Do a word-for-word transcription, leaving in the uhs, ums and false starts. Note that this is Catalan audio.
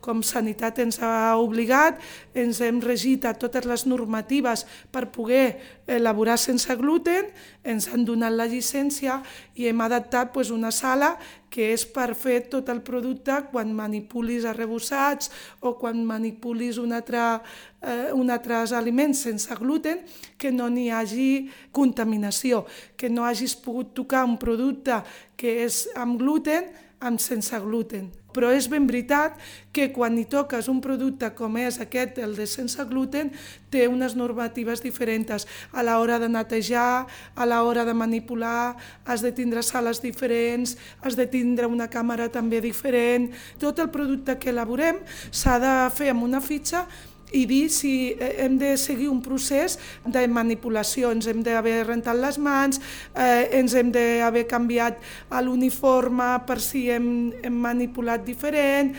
com Sanitat ens ha obligat, ens hem regit a totes les normatives per poder elaborar sense gluten, ens han donat la llicència i hem adaptat doncs, una sala que és per fer tot el producte quan manipulis arrebossats o quan manipulis un altre, eh, un altres aliments sense gluten, que no n'hi hagi contaminació, que no hagis pogut tocar un producte que és amb gluten amb sense gluten. Però és ben veritat que quan hi toques un producte com és aquest, el de sense gluten, té unes normatives diferents. A l'hora de netejar, a l'hora de manipular, has de tindre sales diferents, has de tindre una càmera també diferent. Tot el producte que elaborem s'ha de fer amb una fitxa i dir si hem de seguir un procés de manipulació, ens hem d'haver rentat les mans, eh, ens hem d'haver canviat l'uniforme per si hem, hem manipulat diferent.